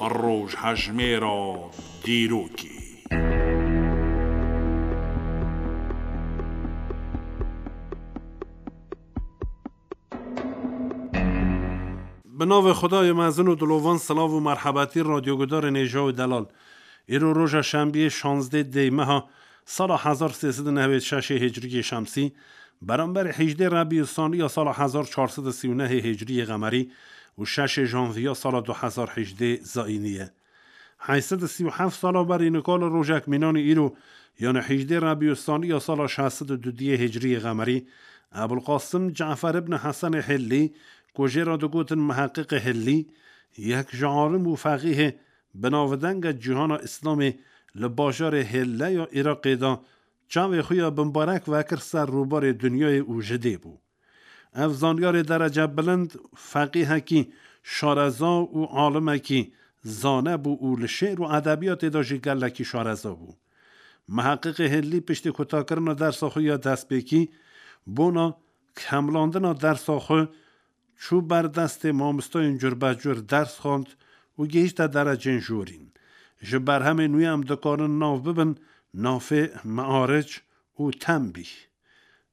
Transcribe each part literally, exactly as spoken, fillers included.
Rojhejmêra dîrokê. Bi navê Xwedayê mezin û dilovan, silav û merhebetî radyogudarên hêja û delal. Îro roja şembiyê şazdeh dê meha sala hezar sê sed û newêd şeşê hicriyê şemsî, beramberî hejdê Rebî Sanî ya sala hezar çar sed û sî û nehê hicriyê qemerî û şeşê janviya sala du hezar hejdê zayînî ye. Heyt sed û sî û heft sala berî nika li rojek mînanî îro, yanî hejdê Rebî Sanî ya sala şeş sed û dudiyê hicriyê qemerî, Ebulqasim Cafer ibn Hesenê Hillî, ku jê re digotin Miheqiqê Hillî, yek ji alim û feqîhê binavdenge cîhana Îslamê li bajarê Hille ya Iraqê de çavê xwe ya bimbarek vekir ser rûbarê dinyayê û ji dê bû. Ev zanyarê derece bilind, feqîhekî şareza û alimekî zane bû û li şê'r û edebiyatê de jî gelekî şareza bû. Miheqiqê Hillî piştî kutakirina dersa xwe ya destpêkî, bona kemlandina dersa xwe çû ber destê mamostayên curbecur ders xwend û gihîşte derecên jorîn. Ji berhemên wî em dikarin nav bibin nafê Mearic û Tenbîh.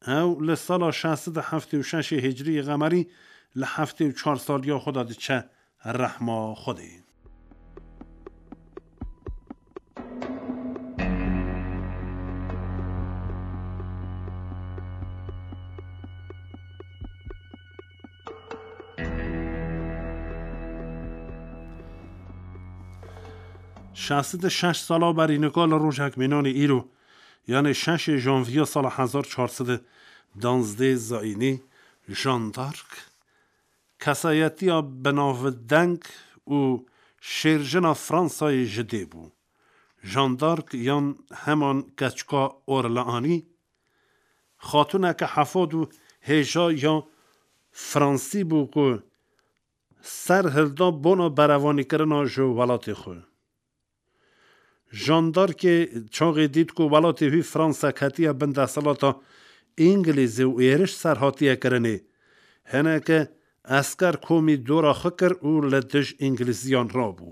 Ew li sala şeş sed û heftê û şeşê hicriyê qemerî li heftê û çar saliya xwe de diçe rehma Xwedê. Şeş sed û şeş sala berî nika li rojek mînanê îro, yanê şeşê janviya sala hezar çar sed û danzdeh zayînî, Jeanne d'Arc, kesayetiya binavdeng û şêrjina Fransayê ji dê bû. Jeanne d'Arc yan heman keçika Orleanî, xatûneke hefad û hêja ya Fransî bû ku ser hilda bona berevanîkirina ji welatê xwe. Jeanne d'Arcê çaxê dît ku welatê wî Fransa ketiye bin desthilata Îngilîzî û êriş ser hatiye kirinê, hineke esker komî dora xwe kir û li dij Îngilîziyan rabû.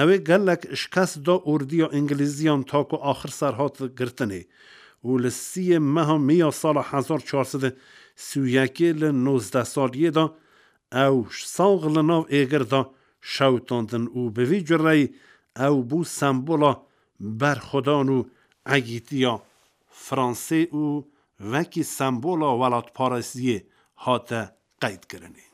Ew ê gelek şikest da ordiya Îngilîziyan ta ku axir ser hat girtinê û li sîyê meha Miya sala hezar çar sed û sî û yekê li nozdeh saliyê de ew sax li nav êgir de şewitandin û bi vî cureyî ew bû sembola berxwedan û egîtiya Fransê û wekî sembola welatparêziyê hate qeydkirinê.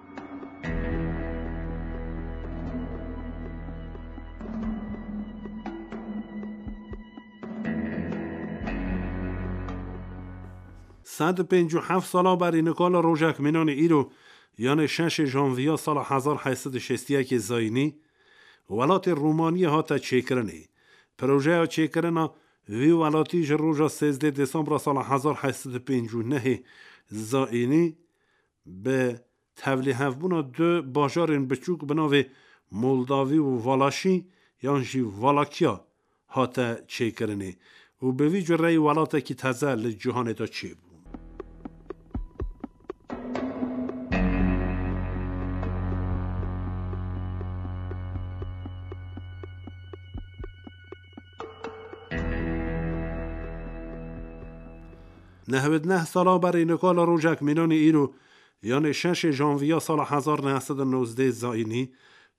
Sed û pêncî û heft sala berî nika li rojek mînanê îro, yanê şeşê janviya sala hezar heyt sed û şêst û yekê zayînî, welatê Romaniyê hate çêkirinê. Projeya çêkirina vî welatî ji roja sêzdeh Desembra sala hezar heyt sed û pêncî û nehê zayînî bi tevlîhevbûna du bajarên biçûk bi navê Moldavî û Valaşî yan jî Valakiya hate çêkirinê û bi vî cureyî welatekî teze li cîhanê de çêbû. Nehwêd neh sala berî nika li rojek mînanê îro, yanê şeşê janviya sala hezar neh sed û nozdeh zayînî,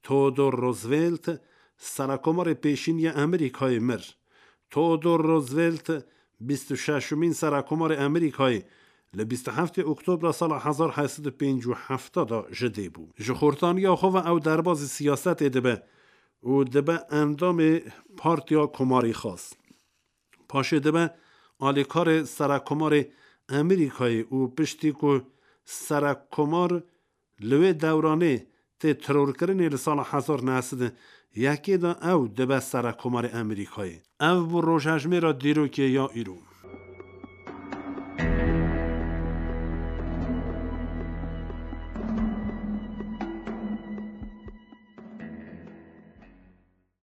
Theodor Roosevelt, serekomarê pêşîn yê Amerîkayê mir. Theodor Roosevelt, bîst û şeşemîn serekomarê Amerîkayê, li bîst û heftê Oktobra sala hezar heyt sed û pêncî û heft de ji dê bû. Ji xortaniya xwe ve ew derbazî siyasetê dibe û dibe endamê Partiya Komarî Xas. Paşê dibe alîkarê serekomarê Amerîkayê û piştî ku serekomar li wê dewranê tê terorkirinê li sala hezar neh sed û yekê de ew dibe serekomarê Amerîkayê. Ev bû rojhejmêra dîrokê ya îro.